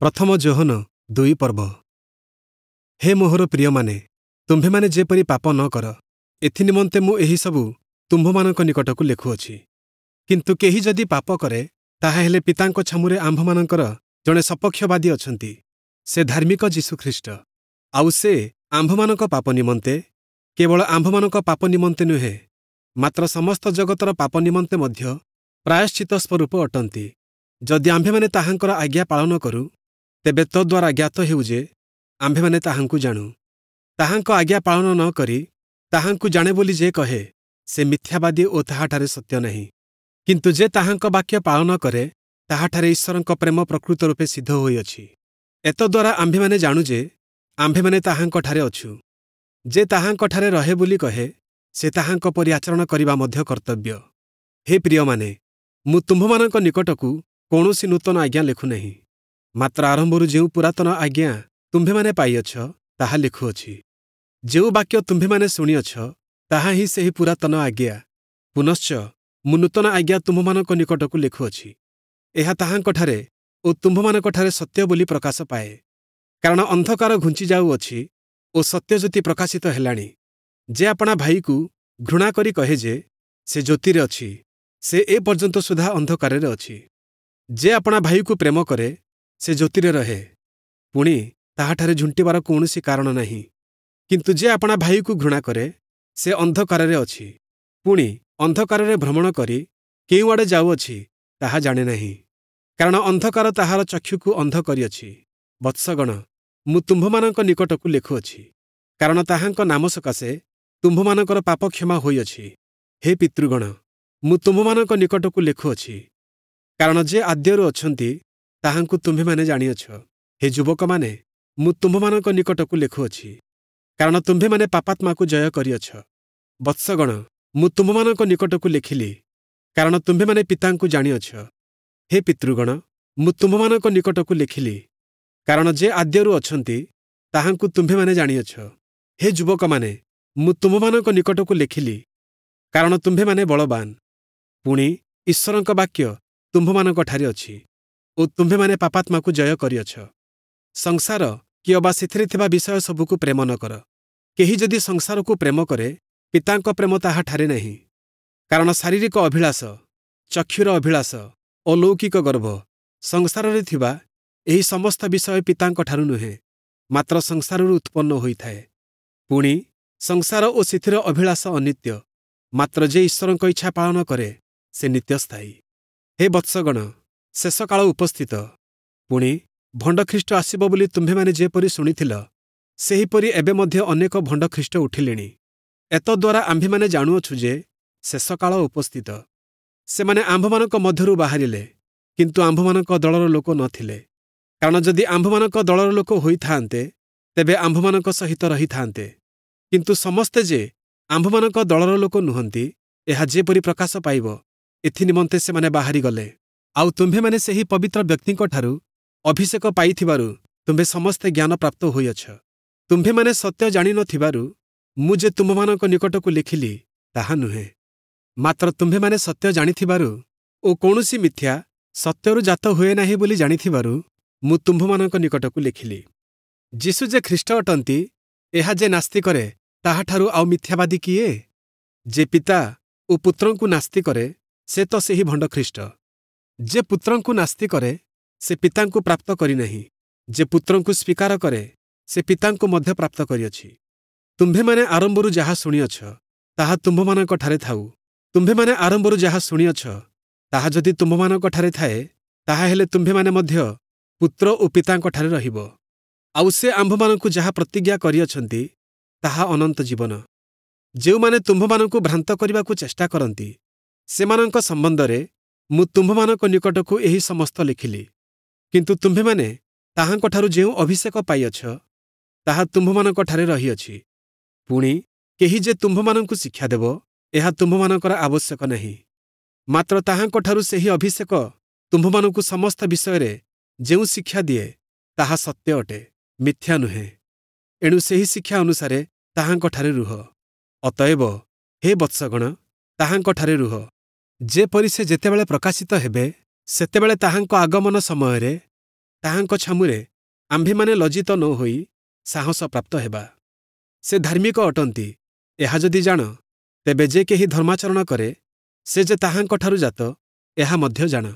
ପ୍ରଥମ ଯୋହନ 2 ପର୍ବ। ହେ ମୋହର ପ୍ରିୟମାନେ, ତୁମ୍ଭେମାନେ ଯେପରି ପାପ ନ କର, ଏଥିନିମନ୍ତେ ମୁଁ ଏହିସବୁ ତୁମ୍ଭମାନଙ୍କ ନିକଟକୁ ଲେଖୁଅଛି। କିନ୍ତୁ କେହି ଯଦି ପାପ କରେ, ତାହାହେଲେ ପିତାଙ୍କ ଛାମୁରେ ଆମ୍ଭମାନଙ୍କର ଜଣେ ସପକ୍ଷବାଦୀ ଅଛନ୍ତି, ସେ ଧାର୍ମିକ ଯୀଶୁଖ୍ରୀଷ୍ଟ। ଆଉ ସେ ଆମ୍ଭମାନଙ୍କ ପାପ ନିମନ୍ତେ, କେବଳ ଆମ୍ଭମାନଙ୍କ ପାପ ନିମନ୍ତେ ନୁହେଁ, ମାତ୍ର ସମସ୍ତ ଜଗତର ପାପ ନିମନ୍ତେ ମଧ୍ୟ ପ୍ରାୟଶ୍ଚିତ ସ୍ୱରୂପ ଅଟନ୍ତି। ଯଦି ଆମ୍ଭେମାନେ ତାହାଙ୍କର ଆଜ୍ଞା ପାଳନ କରୁ, ତେବେ ତଦ୍ୱାରା ଜ୍ଞାତ ହେଉ ଯେ ଆମ୍ଭେମାନେ ତାହାଙ୍କୁ ଜାଣୁ। ତାହାଙ୍କ ଆଜ୍ଞା ପାଳନ ନ କରି ତାହାଙ୍କୁ ଜାଣେ ବୋଲି ଯେ କହେ, ସେ ମିଥ୍ୟାବାଦୀ ଓ ତାହାଠାରେ ସତ୍ୟ ନାହିଁ। କିନ୍ତୁ ଯେ ତାହାଙ୍କ ବାକ୍ୟ ପାଳନ କରେ, ତାହାଠାରେ ଈଶ୍ୱରଙ୍କ ପ୍ରେମ ପ୍ରକୃତ ରୂପେ ସିଦ୍ଧ ହୋଇଅଛି। ଏତଦ୍ୱାରା ଆମ୍ଭେମାନେ ଜାଣୁ ଯେ ଆମ୍ଭେମାନେ ତାହାଙ୍କଠାରେ ଅଛୁ। ଯେ ତାହାଙ୍କଠାରେ ରହେ ବୋଲି କହେ, ସେ ତାହାଙ୍କ ପରି ଆଚରଣ କରିବା ମଧ୍ୟ କର୍ତ୍ତବ୍ୟ। ହେ ପ୍ରିୟମାନେ, ମୁଁ ତୁମ୍ଭମାନଙ୍କ ନିକଟକୁ କୌଣସି ନୂତନ ଆଜ୍ଞା ଲେଖୁନାହିଁ, ମାତ୍ର ଆରମ୍ଭରୁ ଯେଉଁ ପୁରାତନ ଆଜ୍ଞା ତୁମ୍ଭେମାନେ ପାଇଅଛ, ତାହା ଲେଖୁଅଛି। ଯେଉଁ ବାକ୍ୟ ତୁମ୍ଭେମାନେ ଶୁଣିଅଛ, ତାହା ହିଁ ସେହି ପୁରାତନ ଆଜ୍ଞା। ପୁନଶ୍ଚ ମୁଁ ନୂତନ ଆଜ୍ଞା ତୁମ୍ଭମାନଙ୍କ ନିକଟକୁ ଲେଖୁଅଛି। ଏହା ତାହାଙ୍କଠାରେ ଓ ତୁମ୍ଭମାନଙ୍କଠାରେ ସତ୍ୟ ବୋଲି ପ୍ରକାଶ ପାଏ। କାରଣ ଅନ୍ଧକାର ଘୁଞ୍ଚି ଯାଉଅଛି ଓ ସତ୍ୟଜ୍ୟୋତି ପ୍ରକାଶିତ ହେଲାଣି। ଯେ ଆପଣା ଭାଇକୁ ଘୃଣା କରି କହେ ଯେ ସେ ଜ୍ୟୋତିରେ ଅଛି, ସେ ଏ ପର୍ଯ୍ୟନ୍ତ ସୁଦ୍ଧା ଅନ୍ଧକାରରେ ଅଛି। ଯେ ଆପଣା ଭାଇକୁ ପ୍ରେମ କରେ, ସେ ଜ୍ୟୋତିରେ ରହେ, ପୁଣି ତାହାଠାରେ ଝୁଣ୍ଟିବାର କୌଣସି କାରଣ ନାହିଁ। କିନ୍ତୁ ଯେ ଆପଣା ଭାଇକୁ ଘୃଣା କରେ, ସେ ଅନ୍ଧକାରରେ ଅଛି, ପୁଣି ଅନ୍ଧକାରରେ ଭ୍ରମଣ କରି କେଉଁଆଡ଼େ ଯାଉଅଛି ତାହା ଜାଣେ ନାହିଁ, କାରଣ ଅନ୍ଧକାର ତାହାର ଚକ୍ଷୁକୁ ଅନ୍ଧ କରିଅଛି। ବତ୍ସଗଣ, ମୁଁ ତୁମ୍ଭମାନଙ୍କ ନିକଟକୁ ଲେଖୁଅଛି, କାରଣ ତାହାଙ୍କ ନାମ ସକାଶେ ତୁମ୍ଭମାନଙ୍କର ପାପ କ୍ଷମା ହୋଇଅଛି। ହେ ପିତୃଗଣ, ମୁଁ ତୁମ୍ଭମାନଙ୍କ ନିକଟକୁ ଲେଖୁଅଛି, କାରଣ ଯେ ଆଦ୍ୟରୁ ଅଛନ୍ତି ତାହାଙ୍କୁ ତୁମ୍ଭେମାନେ ଜାଣିଅଛ। ହେ ଯୁବକମାନେ, ମୁଁ ତୁମ୍ଭମାନଙ୍କ ନିକଟକୁ ଲେଖୁଅଛି, କାରଣ ତୁମ୍ଭେମାନେ ପାପାତ୍ମାକୁ ଜୟ କରିଅଛ। ବତ୍ସଗଣ, ମୁଁ ତୁମ୍ଭମାନଙ୍କ ନିକଟକୁ ଲେଖିଲି, କାରଣ ତୁମ୍ଭେମାନେ ପିତାଙ୍କୁ ଜାଣିଅଛ। ହେ ପିତୃଗଣ, ମୁଁ ତୁମ୍ଭମାନଙ୍କ ନିକଟକୁ ଲେଖିଲି, କାରଣ ଯେ ଆଦ୍ୟରୁ ଅଛନ୍ତି ତାହାଙ୍କୁ ତୁମ୍ଭେମାନେ ଜାଣିଅଛ। ହେ ଯୁବକମାନେ, ମୁଁ ତୁମ୍ଭମାନଙ୍କ ନିକଟକୁ ଲେଖିଲି, କାରଣ ତୁମ୍ଭେମାନେ ବଳବାନ, ପୁଣି ଈଶ୍ୱରଙ୍କ ବାକ୍ୟ ତୁମ୍ଭମାନଙ୍କଠାରେ ଅଛି ଓ ତୁମ୍ଭେମାନେ ପାପାତ୍ମାକୁ ଜୟ କରିଅଛ। ସଂସାର କି ଅବା ସେଥିରେ ଥିବା ବିଷୟ ସବୁକୁ ପ୍ରେମ ନ କର। କେହି ଯଦି ସଂସାରକୁ ପ୍ରେମ କରେ, ପିତାଙ୍କ ପ୍ରେମ ତାହାଠାରେ ନାହିଁ। କାରଣ ଶାରୀରିକ ଅଭିଳାଷ, ଚକ୍ଷୁର ଅଭିଳାଷ ଓ ଲୌକିକ ଗର୍ବ, ସଂସାରରେ ଥିବା ଏହି ସମସ୍ତ ବିଷୟ ପିତାଙ୍କଠାରୁ ନୁହେଁ, ମାତ୍ର ସଂସାରରୁ ଉତ୍ପନ୍ନ ହୋଇଥାଏ। ପୁଣି ସଂସାର ଓ ସେଥିର ଅଭିଳାଷ ଅନିତ୍ୟ, ମାତ୍ର ଯେ ଈଶ୍ୱରଙ୍କ ଇଚ୍ଛା ପାଳନ କରେ, ସେ ନିତ୍ୟସ୍ଥାୟୀ। ହେ ବତ୍ସଗଣ, ଶେଷ କାଳ ଉପସ୍ଥିତ। ପୁଣି ଭଣ୍ଡଖ୍ରୀଷ୍ଟ ଆସିବ ବୋଲି ତୁମ୍ଭେମାନେ ଯେପରି ଶୁଣିଥିଲ, ସେହିପରି ଏବେ ମଧ୍ୟ ଅନେକ ଭଣ୍ଡଖ୍ରୀଷ୍ଟ ଉଠିଲେଣି। ଏତଦ୍ୱାରା ଆମ୍ଭେମାନେ ଜାଣୁଅଛୁ ଯେ ଶେଷ କାଳ ଉପସ୍ଥିତ। ସେମାନେ ଆମ୍ଭମାନଙ୍କ ମଧ୍ୟରୁ ବାହାରିଲେ, କିନ୍ତୁ ଆମ୍ଭମାନଙ୍କ ଦଳର ଲୋକ ନଥିଲେ। କାରଣ ଯଦି ଆମ୍ଭମାନଙ୍କ ଦଳର ଲୋକ ହୋଇଥାନ୍ତେ, ତେବେ ଆମ୍ଭମାନଙ୍କ ସହିତ ରହିଥାନ୍ତେ। କିନ୍ତୁ ସମସ୍ତେ ଯେ ଆମ୍ଭମାନଙ୍କ ଦଳର ଲୋକ ନୁହନ୍ତି, ଏହା ଯେପରି ପ୍ରକାଶ ପାଇବ, ଏଥିନିମନ୍ତେ ସେମାନେ ବାହାରିଗଲେ। ଆଉ ତୁମ୍ଭେମାନେ ସେହି ପବିତ୍ର ବ୍ୟକ୍ତିଙ୍କଠାରୁ ଅଭିଷେକ ପାଇଥିବାରୁ ତୁମ୍ଭେ ସମସ୍ତେ ଜ୍ଞାନ ପ୍ରାପ୍ତ ହୋଇଅଛ। ତୁମ୍ଭେମାନେ ସତ୍ୟ ଜାଣିନଥିବାରୁ ମୁଁ ଯେ ତୁମ୍ଭମାନଙ୍କ ନିକଟକୁ ଲେଖିଲି, ତାହା ନୁହେଁ, ମାତ୍ର ତୁମ୍ଭେମାନେ ସତ୍ୟ ଜାଣିଥିବାରୁ ଓ କୌଣସି ମିଥ୍ୟା ସତ୍ୟରୁ ଜାତ ହୁଏ ନାହିଁ ବୋଲି ଜାଣିଥିବାରୁ ମୁଁ ତୁମ୍ଭମାନଙ୍କ ନିକଟକୁ ଲେଖିଲି। ଯୀଶୁ ଯେ ଖ୍ରୀଷ୍ଟ ଅଟନ୍ତି, ଏହା ଯେ ନାସ୍ତି କରେ, ତାହାଠାରୁ ଆଉ ମିଥ୍ୟାବାଦୀ କିଏ? ଯେ ପିତା ଓ ପୁତ୍ରଙ୍କୁ ନାସ୍ତି କରେ, ସେ ତ ସେହି ଭଣ୍ଡଖ୍ରୀଷ୍ଟ। ଯେ ପୁତ୍ରଙ୍କୁ ନାସ୍ତି କରେ, ସେ ପିତାଙ୍କୁ ପ୍ରାପ୍ତ କରିନାହିଁ। ଯେ ପୁତ୍ରଙ୍କୁ ସ୍ୱୀକାର କରେ, ସେ ପିତାଙ୍କୁ ମଧ୍ୟ ପ୍ରାପ୍ତ କରିଅଛି। ତୁମ୍ଭେମାନେ ଆରମ୍ଭରୁ ଯାହା ଶୁଣିଅଛ, ତାହା ତୁମ୍ଭମାନଙ୍କଠାରେ ଥାଉ। ତୁମ୍ଭେମାନେ ଆରମ୍ଭରୁ ଯାହା ଶୁଣିଅଛ, ତାହା ଯଦି ତୁମ୍ଭମାନଙ୍କଠାରେ ଥାଏ, ତାହାହେଲେ ତୁମ୍ଭେମାନେ ମଧ୍ୟ ପୁତ୍ର ଓ ପିତାଙ୍କଠାରେ ରହିବ। ଆଉ ସେ ଆମ୍ଭମାନଙ୍କୁ ଯାହା ପ୍ରତିଜ୍ଞା କରିଅଛନ୍ତି, ତାହା ଅନନ୍ତ ଜୀବନ। ଯେଉଁମାନେ ତୁମ୍ଭମାନଙ୍କୁ ଭ୍ରାନ୍ତ କରିବାକୁ ଚେଷ୍ଟା କରନ୍ତି, ସେମାନଙ୍କ ସମ୍ବନ୍ଧରେ ମୁଁ ତୁମ୍ଭମାନଙ୍କ ନିକଟକୁ ଏହି ସମସ୍ତ ଲେଖିଲି। କିନ୍ତୁ ତୁମ୍ଭେମାନେ ତାହାଙ୍କଠାରୁ ଯେଉଁ ଅଭିଷେକ ପାଇଅଛ, ତାହା ତୁମ୍ଭମାନଙ୍କଠାରେ ରହିଅଛି। ପୁଣି କେହି ଯେ ତୁମ୍ଭମାନଙ୍କୁ ଶିକ୍ଷା ଦେବ, ଏହା ତୁମ୍ଭମାନଙ୍କର ଆବଶ୍ୟକ ନାହିଁ, ମାତ୍ର ତାହାଙ୍କଠାରୁ ସେହି ଅଭିଷେକ ତୁମ୍ଭମାନଙ୍କୁ ସମସ୍ତ ବିଷୟରେ ଯେଉଁ ଶିକ୍ଷା ଦିଏ, ତାହା ସତ୍ୟ ଅଟେ, ମିଥ୍ୟା ନୁହେଁ। ଏଣୁ ସେହି ଶିକ୍ଷା ଅନୁସାରେ ତାହାଙ୍କଠାରେ ରୁହ। ଅତଏବ ହେ ବତ୍ସଗଣ, ତାହାଙ୍କଠାରେ ରୁହ, ଯେପରି ସେ ଯେତେବେଳେ ପ୍ରକାଶିତ ହେବେ, ସେତେବେଳେ ତାହାଙ୍କ ଆଗମନ ସମୟରେ ତାହାଙ୍କ ଛାମୁରେ ଆମ୍ଭେମାନେ ଲଜ୍ଜିତ ନ ହୋଇ ସାହସ ପ୍ରାପ୍ତ ହେବା। ସେ ଧାର୍ମିକ ଅଟନ୍ତି, ଏହା ଯଦି ଜାଣ, ତେବେ ଯେ କେହି ଧର୍ମାଚରଣ କରେ, ସେ ଯେ ତାହାଙ୍କଠାରୁ ଜାତ, ଏହା ମଧ୍ୟ ଜାଣ।